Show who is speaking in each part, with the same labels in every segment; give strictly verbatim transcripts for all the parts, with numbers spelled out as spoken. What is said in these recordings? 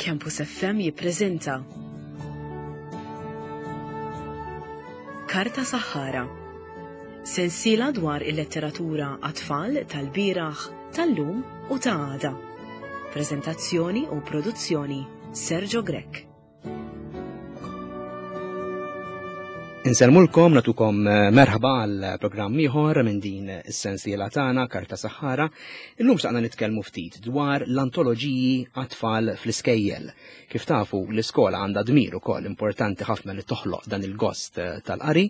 Speaker 1: Campus F M jippreżenta Karta Saħħara. Sensiela dwar il-letteratura għat-tfal tal-bieraħ, tal-lum u ta' għada. Prezentazzjoni u produzzjoni Sergio Grech.
Speaker 2: Insellmulkom, natukom merħba għal programm ieħor minn din is-sensiela tagħna Karta Saħħara. Illum xtaqna nitkellmu ftit dwar l-antoloġiji għat-tfal fl-iskejjel. Kif tafu, l-iskola għandha dmir ukoll importanti ħafna li toħloq dan il-gost tal-qari,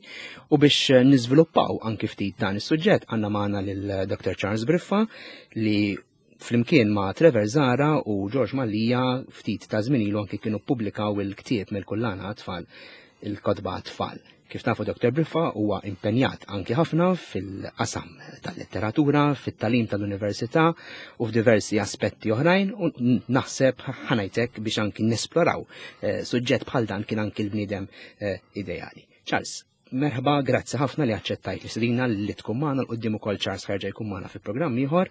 Speaker 2: u biex niżviluppaw anki ftit dan is-suġġett għandna magħna lil Doctor Charles Briffa li flimkien ma' Trevor Zahra u George Mallia ftit ta' żmien ilu anki kienu ppubblikaw il-ktieb mill-kullana għat-tfal, il-kotba għat-tfal. Kif tafu, Doctor Briffa huwa impenjat anki ħafna fil-qasam tal-letteratura, fit-talim tal-università u f'diversi aspetti oħrajn, u naħseb ħanajtek biex anki nesploraw, eh, suġġett bħal dan kien anki l-bniedem, eh, ideali. Charles, merħba, grazzi ħafna li aċċettajt li sidina li tkun magħna l-qudiem ukoll. Charles ħerġa jkun magħna fi programm ieħor.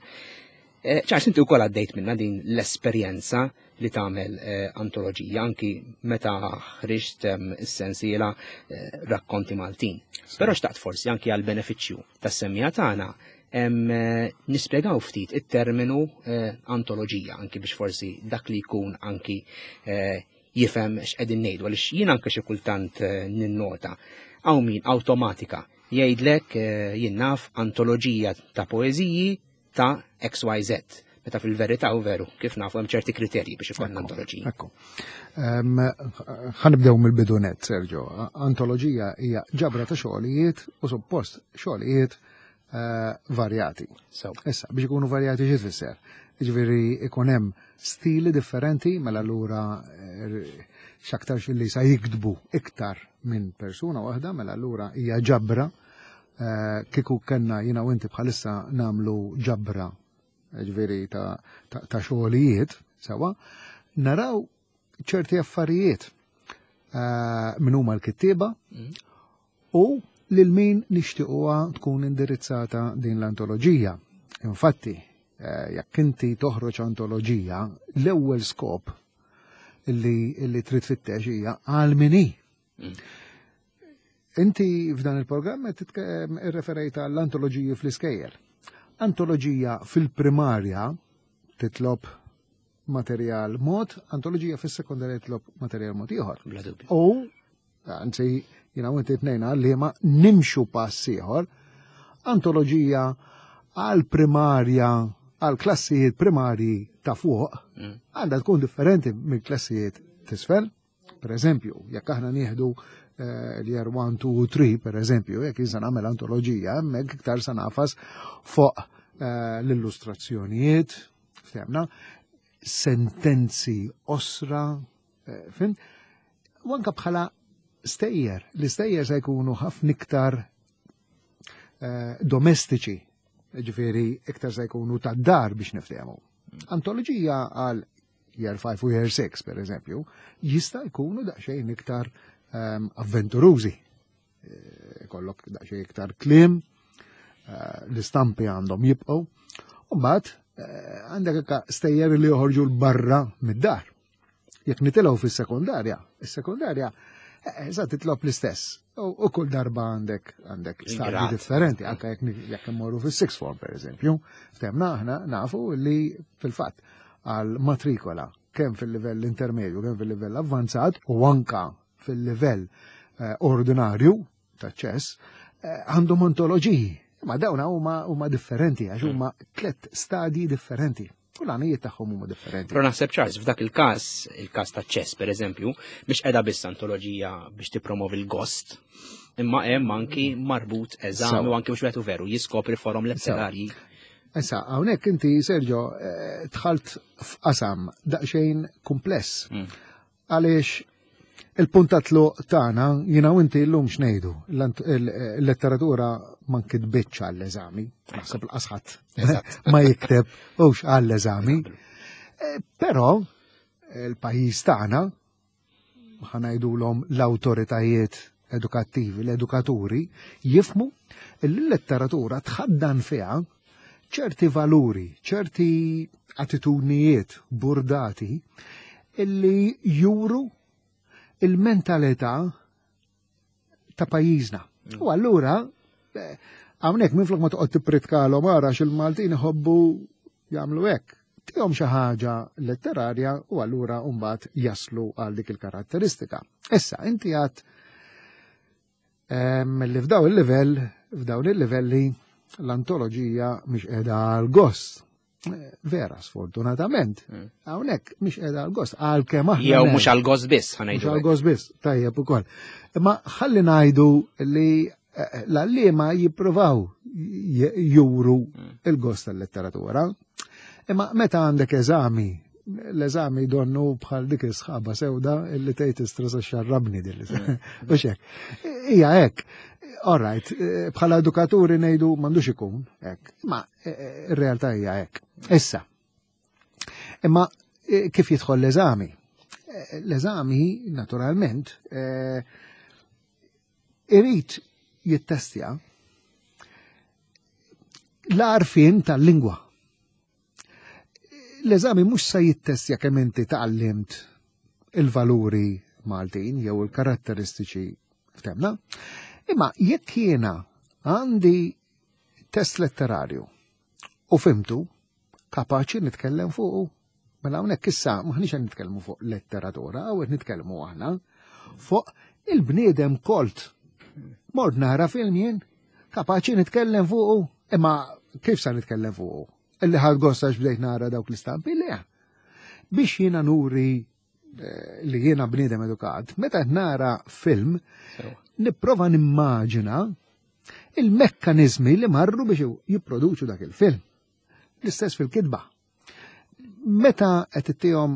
Speaker 2: Eh, Charles, inti wkoll għaddejt minna din l-esperjenza li tagħmel, eh, antoloġija anki meta ħriġt, ehm, is-sensiela, eh, Rakkonti Maltin.
Speaker 3: Sì.
Speaker 2: Però xtaqt forsi anki għal benefiċċju tas-semmija tagħna, ehm, eh, nispjegaw ftit it-terminu, eh, antoloġija anki biex forsi dak li jkun anki, eh, jifhem x'qegħdin ngħidu, għaliex jien anke xi kultant, eh, ninnota hawn min awtomatika jgħidlek, eh, jien naf antoloġija ta' poeżiji ta' X Y Z. Meta fil-verità u veru, kif nafu hemm ċerti kriterji biex ikollna
Speaker 3: Ekku,
Speaker 2: antoloġija.
Speaker 3: Ekku. Ehm, ħanibdew mill-bidu net, Sergio. Antoloġija hija ġabra ta' xogħlijiet u suppost xogħlijiet, eh, varjati.
Speaker 2: So.
Speaker 3: Issa, biex ikunu varjati xi tfisser? Jiġifieri ikun hemm stili differenti, mela allura, eh, x'aktarx li sa jiktbu iktar minn persuna waħda, mela allura hija ġabra. Eh, kieku kellna jiena u inti bħalissa nagħmlu ġabra, ġifieri ta', ta', ta' xogħlijiet, sewa, naraw ċerti affarijiet, eh, min huma l-kittieba
Speaker 2: Mm.
Speaker 3: u lil min nixtiequha tkun indirizzata din l-antoloġija. Infatti, eh, jekk inti toħroġ antoloġija, l-ewwel skop li, li trid tfittex hija għal min hi.
Speaker 2: Mm.
Speaker 3: Inti f'dan il-programm qed titke-, irreferejt għall-antoloġiji fl-iskejjel. Antoloġija fil-primarja titlob materjal mod, antoloġija fis-sekondarja titlob materjal mod ieħor.
Speaker 2: Bla dubju.
Speaker 3: U, anzi, jiena u inti tnejn għalliema nimxu pass ieħor, antoloġija għall-primarja, għall-klassijiet primarji ta' fuq,
Speaker 2: Mm.
Speaker 3: għandha tkun differenti mill-klassijiet t'isfel. Per eżempju, jekk aħna nieħdu, eh, l-year one, two, three, per eżempju, jekk jinsa nagħmel antoloġija, hemmhekk iktar sa nafas fuq, eh, l-illustrazzjonijiet, ftemna, sentenzi osra, eh, fin, u anka bħala stejjer, l-istejjer se jkunu ħafna iktar, eh, domestiċi, ġifieri iktar se jkunu tad-dar biex niftehmu. Antoloġija għal year five u year six, per eżempju, jista' jkunu daqsxejn iktar, ehm, avventurużi. Eh, kollok daqsxejn iktar kliem, eh, l-istampi għandhom jibqgħu, u mbagħad, eh, għandek anke stejjer li joħorġu l-barra mid-dar. Jekk nitilgħu fis-sekondarja, is-sekondarja, eh, sa titlob l-istess. U, u kull darba għandek, għandek
Speaker 2: Il-grad.
Speaker 3: stadji differenti, anke jekk ni-, jekk immorru fis-sixth form, per eżempju. Ftemna aħna nafu li fil-fatt għal matrikola kemm fil-livell intermedju, kemm fil-livell avvanzat u anka fil-livell, eh, ordinarju ta' ċess, eh, għandhom ontoloġiji. Ma dawn huma, huma differenti għax huma tliet stadji differenti. U l-għanijiet tagħhom huma differenti.
Speaker 2: Però naħseb, Charles, f'dak il-każ, il-każ ta' ċess per eżempju, biex qiegħda biss antoloġija biex tippromovi l-gost, imma hemm anki marbut eżami
Speaker 3: Sewa.
Speaker 2: u anki mhux wieħed u veru jiskopri forom
Speaker 3: Sewa.
Speaker 2: letterarji.
Speaker 3: Issa, hawnhekk inti, Sergio, eh, dħalt f'qasam daqsxejn kumpless.
Speaker 2: Mm.
Speaker 3: Għaliex il-punt ta' tluq tagħna, jiena u inti llum x'ngħidu, l-ant-, il-, il-letteratura ma nkitbitx għall-eżami, naħseb l-qasħat
Speaker 2: Eżatt.
Speaker 3: ma jikteb hux għall-eżami.
Speaker 2: Eżatt.
Speaker 3: Eh, però il-pajjiż tagħna, ħanajdulhom l-awtoritajiet edukattivi, l-edukaturi, jifmu li l-letteratura tħaddan fiha ċerti valuri, ċerti attitudnijiet burdati illi juru il-mentalità ta' pajjiżna. Mm. U allura, eh, hawnhekk minflok ma toqgħod tippritkalhom ara x'il-Maltin iħobbu jagħmlu hekk. Tihom xi ħaġa letterarja u allura mbagħad jaslu għal dik il-karatteristika. Issa inti għad li f'daw il-livell, f'dawn il-livelli l-antoloġija mhix qiegħda għal gost. Vera, sfortunatament. Mm. Hawnhekk mhix qiegħda għal gost, għalkemm aħna.
Speaker 2: Jew mhux għal gost biss, ħa ngħidu.
Speaker 3: Mhux għal gost biss, tajjeb ukoll. Imma ħalli ngħidu li eh, l-għalliema jippruvaw juru mm. il-gost tal-letteratura. Imma meta għandek eżami, l-eżami donnu bħal dik is-sħaba sewda illi tgħid istresa xarrabni din. Mm. U hekk. Hija hekk. All right, eh, bħala edukaturi ngħidu m'għandux ikun hekk, imma eh, ir-realtà hija hekk. Issa. Imma eh, kif jidħol l-eżami? L-eżami, naturalment, irid jittestja l-għarfien tal-lingwa. L-eżami mhux se jittestja kemm inti tgħallimt il-valuri Maltin jew il-karatteristiċi ftemna, imma jekk jiena għandi test letterarju u fhimtu, kapaċi nitkellem fuqu. Mela hawnhekk issa maħniex qed nitkellmu fuq letteratura, hawn qed nitkellmu aħna fuq il-bniedem kolt. Mort nara film jien, kapaċi nitkellem fuqu, imma kif sa nitkellem fuqu? Illi ħadt gost għax bdejt nara dawk l-istampi li biex jiena nuri eh, li jiena bniedem edukat, meta nara film, nipprova nimmaġina il-mekkanizmi li marru biex jipproduċu dak il-film. L-istess fil-kitba. Meta qed ittihom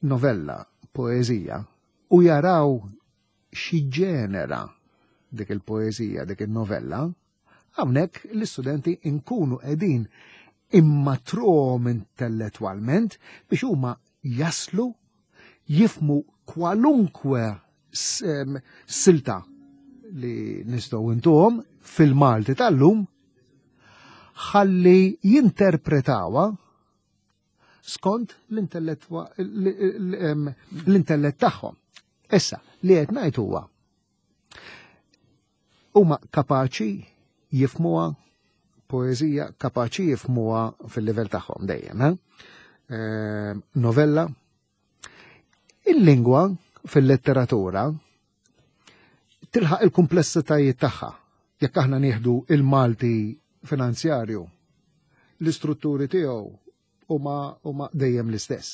Speaker 3: novella, poezija, u jaraw xi ġenera dik il-poezija, dik il-novella, hawnhekk l-istudenti inkunu qegħdin immatruhom intellettwalment biex huma jaslu jifhmu kwalunkwe silta li nistgħu intuhom fil-Malti tal-lum ħalli jinterpretawha skont l-intellett tagħhom. Issa, li qed ngħid huwa huma kapaċi jifhmuha poeżija, kapaċi jifhmuha fil-livell tagħhom dejjem, eh? Novella. Il-lingwa fil-letteratura tilħaq il-kumplessitajiet tagħha. Jekk aħna nieħdu il-Malti finanzjarju, l-istrutturi tiegħu huma huma dejjem l-istess.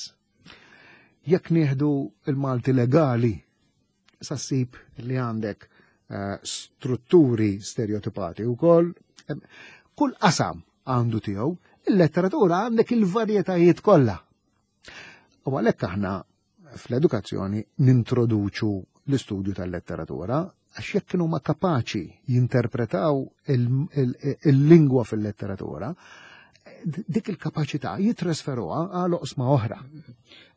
Speaker 3: Jekk nieħdu il-Malti legali, sa ssib li għandek uh, strutturi stereotipati wkoll. Kull qasam għandu tiegħu, il-letteratura għandek il-varjetajiet kollha. U għalhekk aħna fl-edukazzjoni nintroduċu l-istudju tal-letteratura għax jekk kienu ma kapaċi jinterpretaw il-lingwa fil-letteratura, dik il-kapaċità jitrasferuha għal oqsma oħra.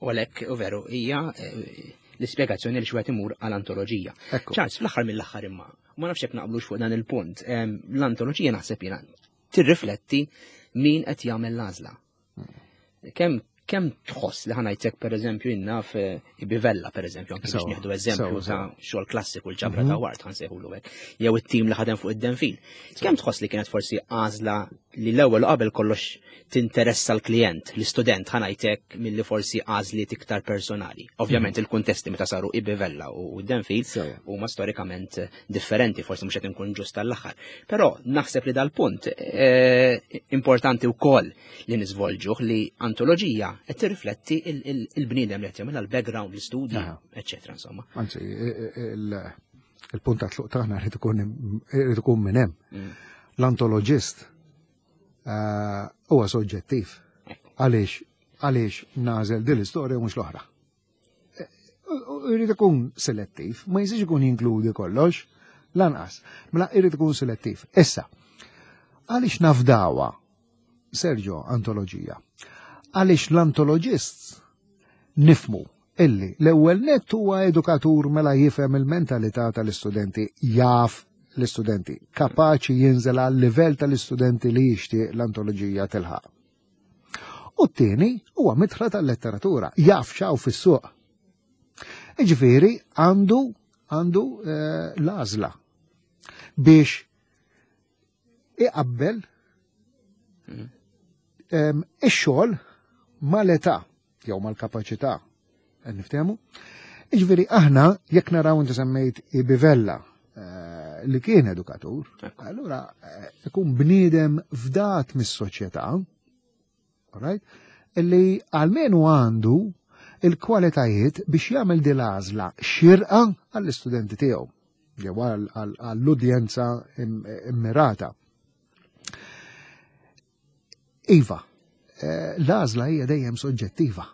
Speaker 2: U għalhekk, u veru, hija l-ispjegazzjoni li xwet imur għal-antoloġija. Charles, fl-aħħar mill-aħħar imma, ma nafx jekk naqblux fuq dan il-punt, l-antoloġija naħseb jiena tirrifletti min qed jagħmel l-għażla. Kemm kemm tħoss li ħa ngħidlek per eżempju innaf Bivella per eżempju, anke biex nieħdu eżempju ta' xogħol klassiku l-ġabra ta' Ward ħa nsejħulu hekk, jew it-tim li ħadem fuq id-Denfil. Kemm tħoss li kienet forsi għażla li l-ewwel qabel kollox tinteressa l-klient, l-istudent ħa ngħidlek milli forsi għażliet iktar personali. Ovvjament il-kuntesti meta saru i-Bivella u d-Denfil huma storikament differenti, forsi mhux qed inkun ġust tal-aħħar. Però naħseb li dal-punt importanti wkoll li niżvolġuh li antoloġija qed tirrifletti il-bniedem li qed jagħmilha l-background, l-istudji, eċċetera insomma.
Speaker 3: Anzi, il-punt ta' tluq tagħna rid ikun minn hemm. L-antoloġist huwa soġġettiv. Għaliex għaliex nażel din l-istorja mhux l-oħra. Irid ikun selettiv, ma jistax ikun jinkludi kollox, lanqas. Mela irid ikun selettiv. Issa, għaliex nafdawa Sergio antoloġija? Għaliex l-antoloġist nifhmu illi l-ewwel nett huwa edukatur mela jifhem il-mentalità tal-istudenti, jaf l-istudenti, kapaċi jinżel għal livell tal-istudenti li jixtieq l-antoloġija tilħaq. U t-tieni huwa midħla tal-letteratura, jaf x'hawn fis-suq. Iġifieri għandu għandu eh, l-għażla biex iqabbel em, ix-xogħol mal-età jew mal-kapaċità. Qed niftehmu? Iġifieri aħna jekk naraw, inti semmejt Bivella eh, li kien edukatur, allura eh, ikun bniedem fdat mis-soċjetà, alright? Illi almenu għandu il-kwalitajiet biex jagħmel din l-għażla xirqa għall-istudenti tiegħu jew għall-udjenza immirata. Iva, eh, l-għażla hija dejjem soġġettiva.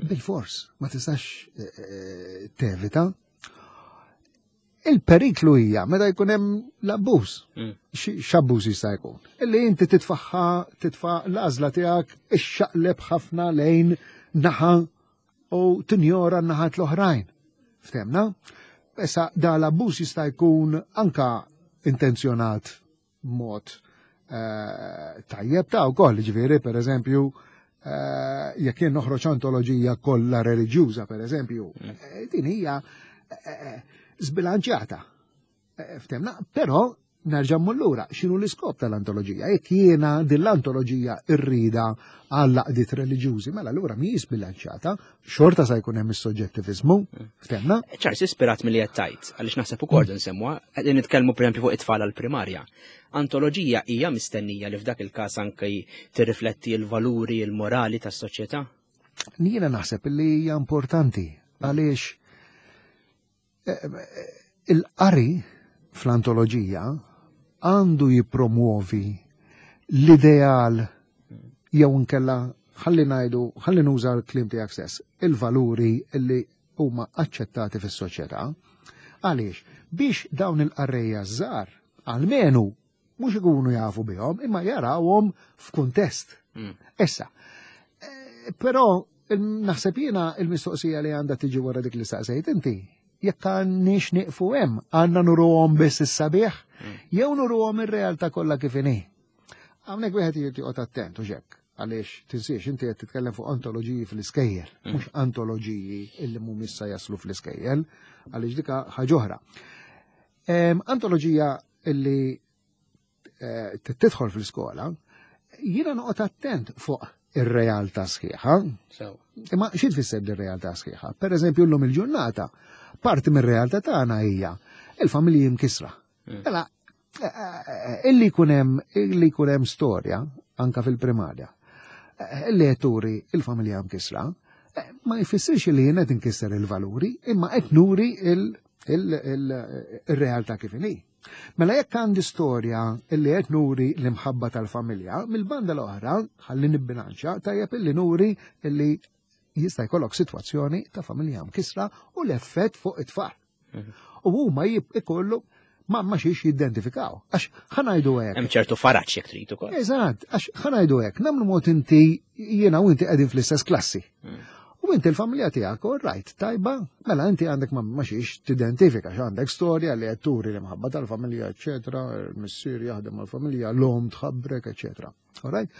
Speaker 3: Bil-fors, ma tistax eh, tevita. Il-periklu hija meta jkun hemm l-abbuż. Mm. X'abbuż jista' jkun? Illi inti titfaħħa, titfa' l-għażla tiegħek ixxaqleb ħafna lejn naħa u tinjora n-naħat l-oħrajn. Ftemna? Issa da l-abbuż jista' jkun anka intenzjonat mod eh, tajjeb ta' wkoll, ġifieri pereżempju eh, jekk jien noħroġ antoloġija kollha reliġjuża pereżempju, mm. eh, din hija zbilanċjata. Ftemna, però nerġa' lura, x'inhu l-iskop tal-antoloġija? Jekk jiena din l-antoloġija rrida għal għaqdiet reliġjużi, mela allura mhijiex bilanċjata, xorta sa jkun hemm is-soġġettiviżmu, ftemna?
Speaker 2: Charles, ispirat milli qed tajt, għaliex naħseb ukoll nsemmuha, qegħdin nitkellmu pereżempju fuq it-tfal għall-primarja. Antoloġija hija mistennija li f'dak il-każ anke tirrifletti l-valuri, il-morali tas-soċjetà?
Speaker 3: Jiena naħseb li hija importanti għaliex eh, il-qari fl-antoloġija għandu jipromuovi l-ideal jew nkella, ħalli ngħidu, ħalli nuża l-kliem tiegħek stess, il-valuri li huma aċċettati fis-soċjetà. Għaliex? Biex dawn il-qarrejja żgħar almenu mhux ikunu jafu bihom, imma jarawhom f'kuntest. Mm. Issa, eh, però naħseb jiena il-mistoqsija li għandha tiġi wara dik li staqsejt inti, jekk għandniex nieqfu hemm, għandna nuruhom biss is-sabiħ, mm. jew nuruhom ir-realtà kollha kif inhi. Hawnhekk wieħed irid joqgħod attent u hekk, għaliex tinsiex inti qed titkellem fuq antoloġiji fl-iskejjel, mm. mhux antoloġiji illi mhumiex sa jaslu fl-iskejjel, għaliex dika ħaġa oħra. Antoloġija illi eh, tidħol fl-iskola, jiena noqgħod attent fuq ir-realtà sħiħa. Imma xi tfisser ir-realtà sħiħa? Per eżempju, llum il-ġurnata, parti mir-realtà tagħna hija il-familji mkisra. Mm. Mela, eh, eh, illi jkun hemm illi jkun hemm storja anka fil-primarja, eh, illi turi il-familja mkisra, ma jfissirx li jien qed inkisser il-valuri, imma qed nuri il-realtà kif inhi. Mela jekk għandi storja illi qed nuri l-imħabba tal-familja, mill-banda l-oħra, ħalli nibbilanċa, tajjeb illi nuri illi jista' jkollok sitwazzjoni ta' familja mkisra u l-effett fuq it-tfal. Mhm. U huma ikollu ma ma xiex jidentifikaw. Għax ħa ngħidu hekk.
Speaker 2: Hemm ċertu faraġ jekk trid ukoll.
Speaker 3: Eżatt, għax ħa ngħidu hekk, nagħmlu mod inti jiena u inti qegħdin fl-istess klassi. Mm. U inti l-familja tiegħek, all right, tajba, mela inti għandek ma ma xiex tidentifika, għandek storja li qed turi l-imħabba tal-familja, eċetera, il-missier jaħdem mal-familja, l-om tħabbrek, eċetera. All right?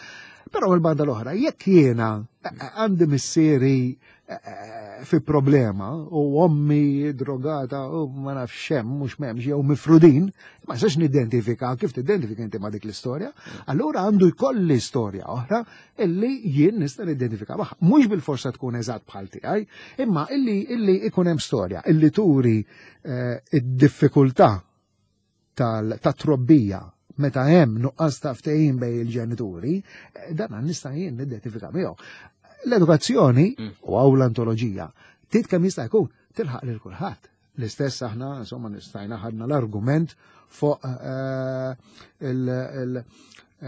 Speaker 3: Però l-banda l-oħra, jekk jiena eh, eh, għandi missieri eh, fi problema u ommi drogata u ma nafx hemm, mhux m'hemmx, jew mifrudin, ma nistax nidentifika. Kif tidentifika inti ma dik l-istorja? Allura għandu jkolli storja oħra illi jien nista' nidentifika magħha. Mhux bil-forsa tkun eżatt bħal tiegħi, imma illi illi ikun hemm storja illi turi id-diffikultà tal-trobbija meta hemm nuqqas ta' ftehim bejn il-ġenituri, dan nista' jien nidentifika miegħu. L-edukazzjoni mm. u għaw l-antoloġija tit kemm jista' jkun tilħaq lil kulħadd. L-istess aħna, insomma, nistajna ħadna l-argument fuq eh, eh,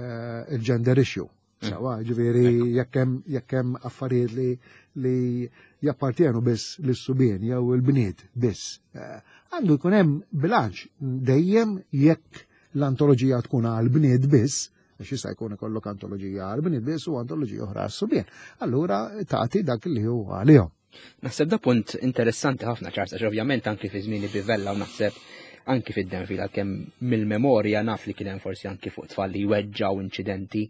Speaker 3: il-gender issue. Mm. Sawa, ġifieri jekk hemm affarijiet li li jappartjenu biss lis-subien jew il-bniet biss. Eh, għandu jkun hemm bilanċ dejjem. Jekk l-antoloġija tkun għal bniet biss, għax jista' jkun ikollok antoloġija għal bniet biss u antoloġija oħra għas-subien. Allura tagħti dak li huwa għalihom.
Speaker 2: Naħseb da punt interessanti ħafna, Charles, għax ovvjament anki fi żmieni Bivella u naħseb anki fid-Denfil, għalkemm mill-memorja naf li kien hemm forsi anki fuq tfal li jweġġaw inċidenti.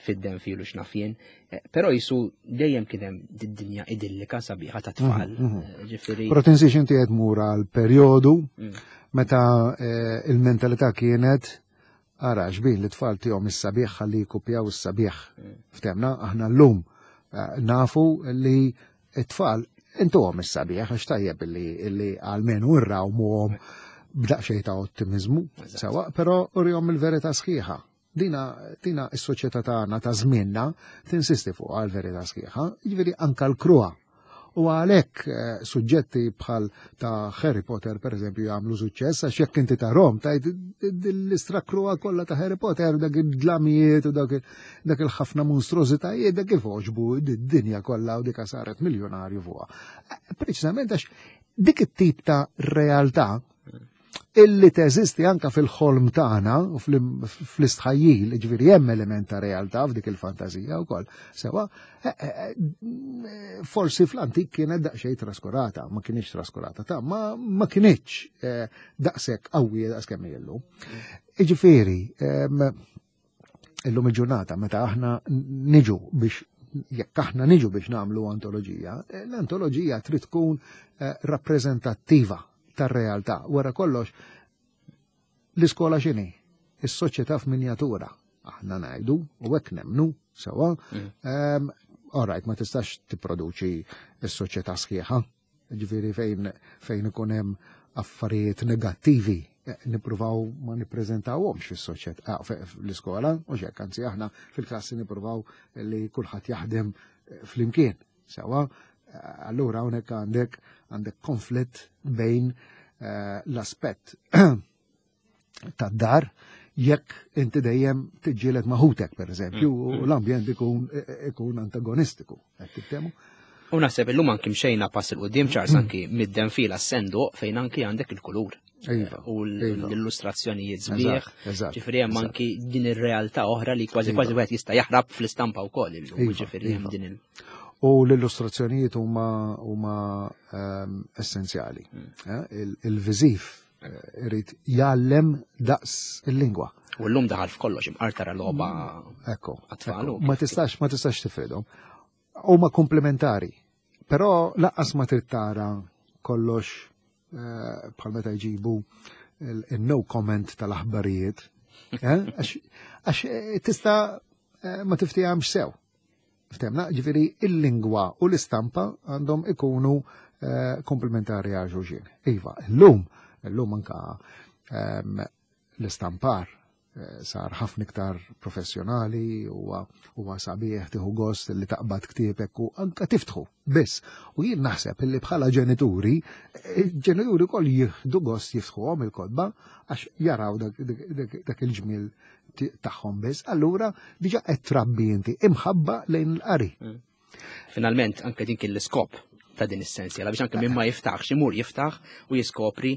Speaker 2: Fid-denfil u x'naf jien, eh, però jisu dejjem kien hemm dinja idillika sabiħa ta' tfal.
Speaker 3: Mhm, mhm.
Speaker 2: Eh, Ġifieri.
Speaker 3: Però tinsiex inti qed mur għal perjodu
Speaker 2: Mm.
Speaker 3: meta eh, il-mentalità kienet ara xbin li tfal tihom is-sabiħ ħalli jkupjaw is-sabiħ.
Speaker 2: Mm.
Speaker 3: Ftemna, aħna llum eh, nafu li t-tfal intuhom is-sabiħ għax tajjeb li li għalmenu rrawmuhom b'daqsxejn ta' ottimizmu,
Speaker 2: Eżatt.
Speaker 3: sewa, però urihom il-verità sħiħa. Dina, dina is-soċjetà tagħna ta' żmienna tinsisti fuq għal-verità sħiħa, jiġifieri anka l-kruha. U għalhekk eh, suġġetti bħal ta' Harry Potter per eżempju jagħmlu suċċess għax jekk inti tarahom tajt l-istra kruha kollha ta' Harry Potter dak id-dlamijiet u dak dak il-ħafna monstrużitajiet dak kif għoġbu d-dinja kollha u dika saret miljonarju fuqha. Eh, Preċisament għax dik it-tip ta' realtà illi teżisti anka fil-ħolm tagħna u fl- fl-istħajjil, ġifieri hemm element ta' realtà f'dik il-fantażija wkoll. Sewa, eh, eh, eh, forsi fl-antik kienet daqsxejn traskurata, ma kienx traskurata ta' ma, ma kienx eh, daqshekk qawwija daqs kemm hi llum. Iġifieri, em, illum il-ġurnata meta aħna niġu biex jekk aħna niġu biex nagħmlu antoloġija, eh, l-antoloġija trid tkun eh, rappreżentattiva tar-realtà. Wara kollox, l-iskola x'inhi? Is-soċjetà f'minjatura. Aħna ngħidu u hekk nemnu sewa.
Speaker 2: Mm.
Speaker 3: Um, all right, ma tistax tipproduċi s-soċjetà sħiħa. Ġifieri fejn fejn ikun hemm affarijiet negattivi eh, nippruvaw ma nippreżentawhomx fis-soċjetà ah, fl-iskola, u xek, anzi aħna fil-klassi nippruvaw li kulħadd jaħdem eh, flimkien. Sewa, eh, allura hawnhekk għandek għandek konflitt bejn eh, l-aspett tad-dar jekk inti dejjem tiġġieled ma' ħutek per eżempju,
Speaker 2: Mm,
Speaker 3: u
Speaker 2: mm.
Speaker 3: l-ambjent ikun ikun antagonistiku. Qed tiftehmu?
Speaker 2: U naħseb illum anki mxejna pass 'il quddiem Charles anki mid-denfil għas-senduq fejn anki għandek il-kulur.
Speaker 3: Iva,
Speaker 2: U
Speaker 3: iva.
Speaker 2: l-illustrazzjonijiet sbieħ.
Speaker 3: Eżatt, eżatt.
Speaker 2: Ġifieri hemm
Speaker 3: eżatt.
Speaker 2: anki din ir-realtà oħra li kważi
Speaker 3: Iva.
Speaker 2: kważi wieħed jista' jaħrab fl-istampa wkoll illum.
Speaker 3: Iva,
Speaker 2: Ġifieri hemm
Speaker 3: iva.
Speaker 2: din il-
Speaker 3: U l-illustrazzjonijiet huma huma ehm, essenzjali.
Speaker 2: Mm.
Speaker 3: Eh, il- Il-viżiv eh, irid jgħallem daqs il-lingwa.
Speaker 2: U llum daħal f'kollox imqar tara logħba
Speaker 3: Ekku.
Speaker 2: Għat-tfal
Speaker 3: ekku.
Speaker 2: u
Speaker 3: Ma
Speaker 2: kif-
Speaker 3: tistax ma tistax tifridhom. Huma komplementari. Però lanqas ma trid tara kollox eh, bħal meta jġibu il-no comment tal-aħbarijiet. eh, Għax għax, eh, tista' eh, ma tiftehemx sew. Ftemna, ġifieri il-lingwa u l-istampa għandhom ikunu eh, komplementari għal xulxin. Iva, l-lum, l-lum anka ehm, l-istampar eh, sar ħafna iktar professjonali huwa huwa sabiħ tieħu gost li taqbad ktiebek u anka tiftħu biss. U jien naħseb illi bħala ġenituri, eh, ġenituri wkoll jieħdu gost jiftħuhom il-kotba għax jaraw dak, dak, dak, dak il-ġmiel ti- tagħhom biss. Allura diġà qed trabbi inti imħabba lejn il-qari.
Speaker 2: Finalment anke din kien l-iskop ta' din is-sensiela biex anke min ma jiftaħx imur jiftaħ u jiskopri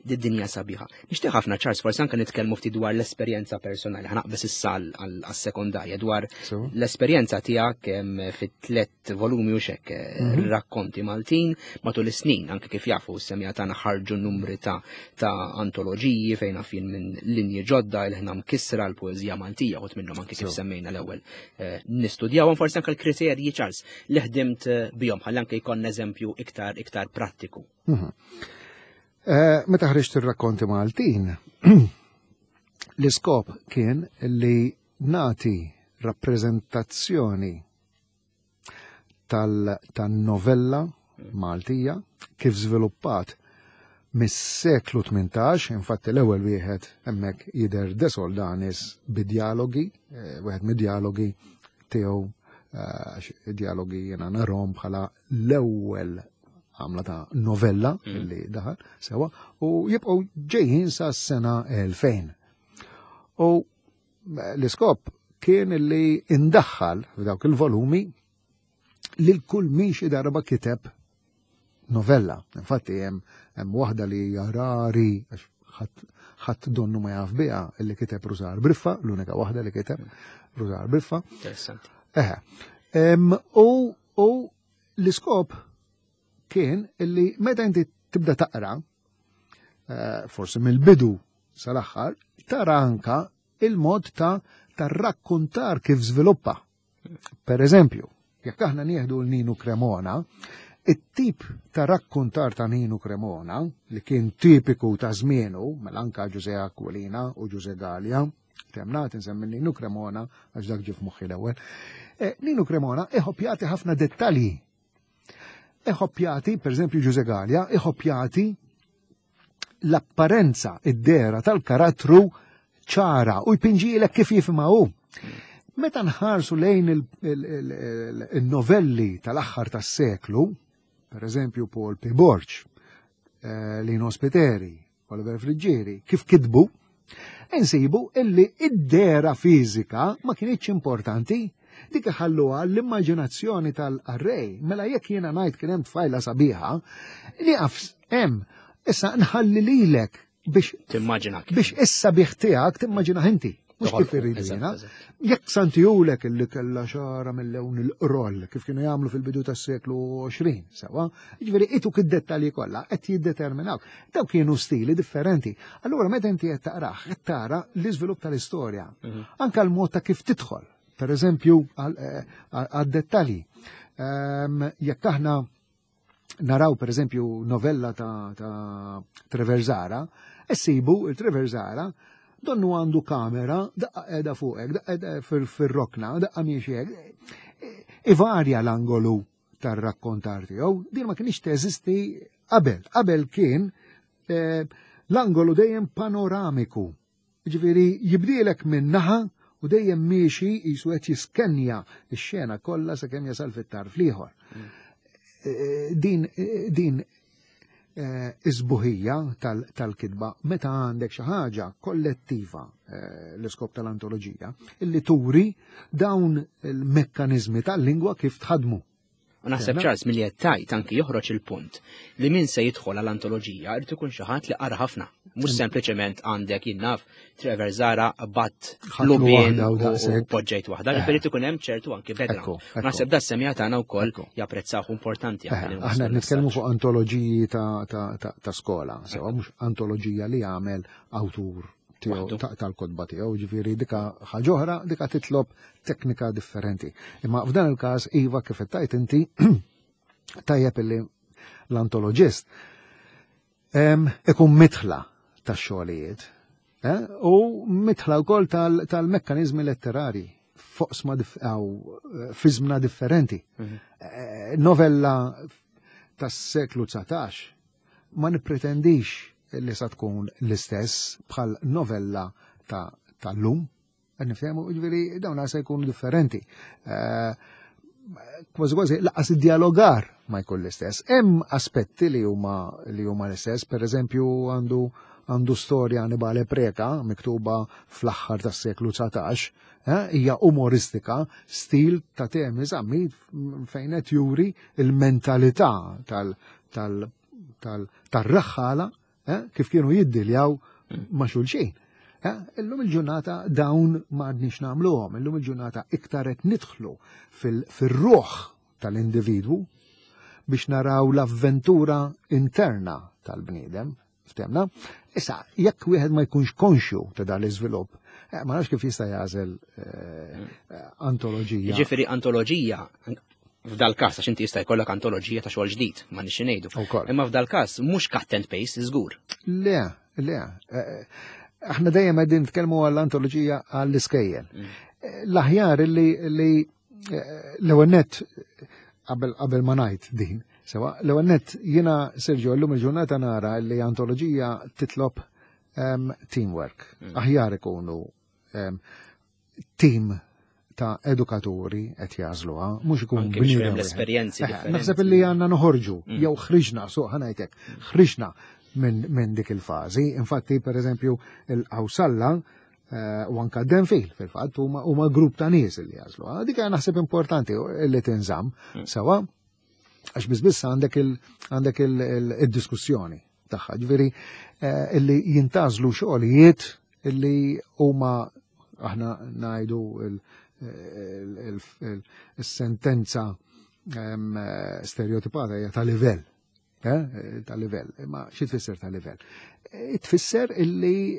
Speaker 2: di dinja sabiħa. Nixtieq ħafna Charles forsi anke nitkellmu ftit dwar l-esperjenza personali, ħa naqbeż issa għas-sekondarja dwar
Speaker 3: So,
Speaker 2: l-esperjenza tiegħek em, fit-tlet volumi u xek eh,
Speaker 3: Mhm.
Speaker 2: rakkonti Maltin matul is-snin anke kif jafu s-semmiegħa tagħna ħarġu numri ta' ta' antoloġiji fejn għafin minn linji ġodda il-ħna mkissra l-poeżija Maltija u minnhom anke kif
Speaker 3: So.
Speaker 2: semmejna l-ewwel eh, nistudjawhom forsi anke l-kriterji Charles li ħdimt eh, bihom ħalli anke jkollna eżempju iktar iktar prattiku.
Speaker 3: Mhm. Eh, Meta ħriġt ir-rakkonti Maltin, l-iskop kien li nati rappreżentazzjoni tal-novella Maltija kif żviluppat mis-seklu tmintax, infatti l-ewwel wieħed hemmhekk jidher De Soldanis bid-dialogi, eh, wieħed mid-dialogi tiegħu eh, għax dialogi jiena narahom bħala l-ewwel għamla ta' novella
Speaker 2: Mm.
Speaker 3: li daħal sewa u jibqgħu ġejjin sa' s-sena elfejn. U eh, l-iskop kien li indaħħal f'dawk il-volumi lil kull min xi darba kiteb novella. Infatti hemm hemm waħda li hija rari għax ħadd ħadd donnu ma jaf biha illi kiteb Rużar Briffa, l-unika waħda li kiteb Rużar Briffa.
Speaker 2: Interessanti.
Speaker 3: Eħe. Em, U u l-iskop kien illi meta inti tibda taqra, eh, forsi mill-bidu sal-aħħar, tara anka il-mod ta' tar-rakkuntar kif żviluppa. Per eżempju, jekk aħna nieħdu l-Ninu Cremona, it-tip ta' rakkuntar ta' Ninu Cremona, li kien tipiku ta' żmienu, mela anka Ġuże Aquilina u Ġuże Gallia, temna tinsemmi Ninu Cremona, għax dak ġie f'moħħi l-ewwel. Eh, Ninu Cremona iħobb jagħti ħafna dettalji. Iħobb jagħti, per eżempju Ġuże Gallia, iħobb jagħti l-apparenza, id-dehra tal-karattru ċara u jpinġilek kif jifhimha hu. Meta nħarsu lejn il-novelli tal-aħħar tas-seklu, per eżempju Paul P. Borg, eh, Lino Spiteri, Oliver Friggieri, kif kitbu, insibu illi id-dehra fiżika ma kienitx importanti, dik iħalluha l-immaġinazzjoni tal-qarrej. Mela jekk jiena ngħid kien hemm tfajla sabiħa, nieqaf hemm, issa nħalli lilek biex
Speaker 2: timmaġina
Speaker 3: biex issa biex tiegħek timmaġina inti. Mhux kif irridu jiena. Jekk santijulek illi kellha xara mill-lewn il-qroll kif kienu jagħmlu fil-bidu tas-seklu għoxrin, sewa, jiġifieri ituk id-dettalji kollha qed jiddeterminaw. Daw kienu stili differenti. Allura meta inti qed taqrah, qed tara l-iżvilupp tal-istorja. Anka l-mod ta' kif tidħol, per eżempju għad-dettalji. Jekk aħna naraw per eżempju novella ta', ta Trevor Zahra, issibu il-Trevor Zahra donnu għandu kamera, daqqa qiegħda fuqek, daqqa qiegħda fil-rokna, daqqa miexi hekk. Ivarja l-angolu tar-rakkontar tiegħu, din ma kienx teżisti qabel. Qabel kien eh, l-angolu dejjem panoramiku. Ġifieri jibdielek minn naħa u dejjem miexi jisu qed jiskenja x-xena kollha sakemm jasal fit-tarf l-ieħor. Din din iżbuħija tal-kitba meta għandek xi ħaġa kollettiva, l-iskop tal-antoloġija, illi turi dawn il-mekkaniżmi tal-lingwa kif tħadmu.
Speaker 2: U naħseb Charles milli qed tgħid anki joħroġ il-punt li min se jidħol għall-antoloġija irid ikun xi ħadd li qara ħafna. Mhux sempliċement għandek jinnaf Trevor Zahra bat lubien u poġġejt waħda, ġifieri ikun hemm ċertu anki background. Naħseb da semija tagħna wkoll japprezzaw importanti.
Speaker 3: Aħna nitkellmu fuq antoloġiji ta' skola, sewa mhux antoloġija li jagħmel awtur tal-kotba tiegħu, ġifieri dika ħaġa oħra, dika titlob teknika differenti. Imma f'dan il-każ iva kif qed tgħid inti tajjeb illi l-antoloġist ikun mitħla tax-xogħlijiet u mitħla wkoll tal-mekkaniżmi letterari foqsma fi żmna differenti. Novella tas-seklu dsatax ma nippretendix li sa tkun l-istess bħal novella tal-lum, nifhemu, ġifieri dawn se jkunu differenti. Kważi kważi laqas id-dialogar ma jkun l-istess. Hemm aspetti li huma li huma l-istess, per eżempju għandu għandu storja Annibale Preka miktuba fl-aħħar tas-seklu dsatax, hija umoristika, stil ta' temi Zammit fejn qed juri il-mentalità tal tal tal-raħħala kif kienu jiddiljaw ma' xulxin. Illum il-ġurnata dawn ma għadniex nagħmluhom, illum il-ġurnata iktar qed nidħlu fil-ruħ tal-individwu biex naraw l-avventura interna tal-bniedem, ftemna. Issa, jekk wieħed ma jkunx konxju ta' dan l-iżvilupp, ma nafx kif jista' jagħżel antoloġija.
Speaker 2: Jiġifieri antoloġija f'dal każ għax inti jista' jkollok antoloġija ta' xogħol ġdid, ma nixxi ngħidu. Imma f'dal każ mhux cut and paste żgur.
Speaker 3: Le, le. Aħna dejjem qegħdin nitkellmu għall-antoloġija għall-iskejjel. L-aħjar li l-ewwel nett qabel qabel ma ngħid din, sewa, l-ewwel nett jiena Sergio llum il-ġurnata nara li antoloġija titlob teamwork. Aħjar ikunu team ta' edukaturi qed jażluha, mhux ikun
Speaker 2: bniedem l-esperjenzi differenti.
Speaker 3: Naħseb illi għandna noħorġu jew ħriġna, suq ħanajtek, ħriġna minn dik il-fażi. Infatti, per eżempju, il-Qawsalla u anka Denfil fil-fatt huma grupp ta' nies li jażluha. Dik naħseb importanti li tinżamm sewa għax biss biss għandek għandek il-diskussjoni tagħha. Ġifieri illi jintażlu xogħlijiet illi huma aħna ngħidu il-sentenza stereotipata hija ta' livell, ta' livell, imma xi tfisser ta' livell? Tfisser illi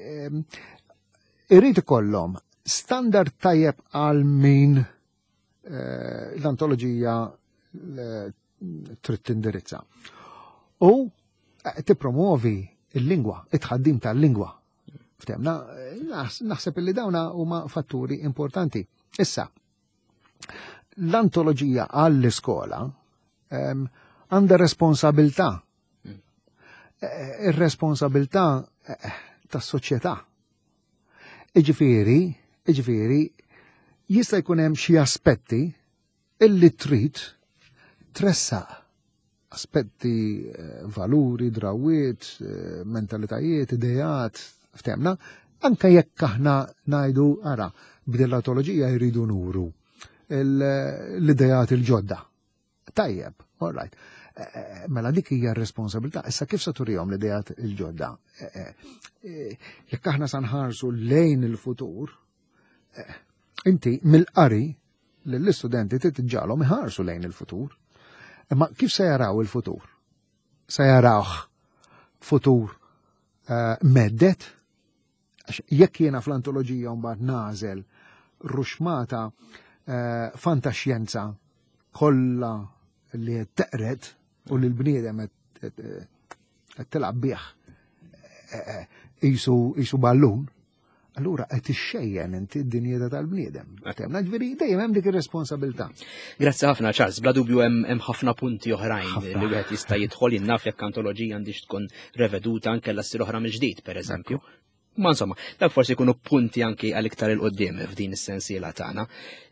Speaker 3: Irid ikollhom standard tajjeb għal min eh, l-antoloġija eh, trid tindirizza. U eh, tippromuovi il-lingwa, it-tħaddim tal-lingwa. Ftemna, naħseb illi dawna huma fatturi importanti. Issa, l-antoloġija għall-iskola għandha responsabilità. Ir-responsabilità tas-soċjetà. Iġifieri, iġifieri, jista' jkun hemm xi aspetti illi trid tressaq aspetti, valuri, drawiet, mentalitajiet, ideat, ftemna, anka jekk aħna ngħidu ara b'din l-antoloġija jridu nuru l-idejat il-ġodda. Tajjeb, all right. Mela dik hija r-responsabilità. Issa kif se turihom l-idejat il-ġodda? Jekk aħna sa nħarsu lejn il-futur, inti mill-qari lill-istudenti trid iġġagħalhom iħarsu lejn il-futur. Imma kif se jaraw il-futur? Se jarawh futur mhedded? Għax jekk jiena fl-antoloġija mbagħad nagħżel ruxmata fantaxjenza kollha li qed teqred u li l-bniedem qed tilgħab bih qisu ballun, allura qed ixxejjen inti d-dinjità tal-bniedem. Temna ġifieri dejjem hemm dik ir-responsabilità.
Speaker 2: Grazzi ħafna Charles, bla dubju hemm ħafna punti oħrajn li wieħed jista' jidħol jinnaf jekk antoloġija għandix tkun reveduta anke l oħra mill-ġdid, pereżempju. Ma insomma, dak forsi jkunu punti anki għal iktar il-qoddim f'din is-sensiela tagħna.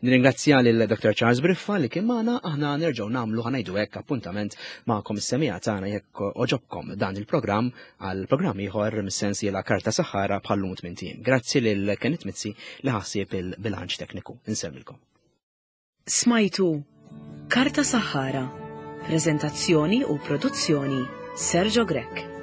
Speaker 2: Nirringrazzja lil Dr. Charles Briffa li kien magħna, aħna nerġgħu nagħmlu ħa ngħidu hekk appuntament magħkom is-semija tagħna jekk oġobkom dan il-programm għal programm ieħor mis-sensiela Karta Saħħara bħallum tmien ijiem. Grazzi lil Kenneth Mizzi li ħassieb il-bilanċ tekniku. Insellmilkom.
Speaker 1: Smajtu Karta Saħħara, prezentazzjoni u produzzjoni Sergio Grech.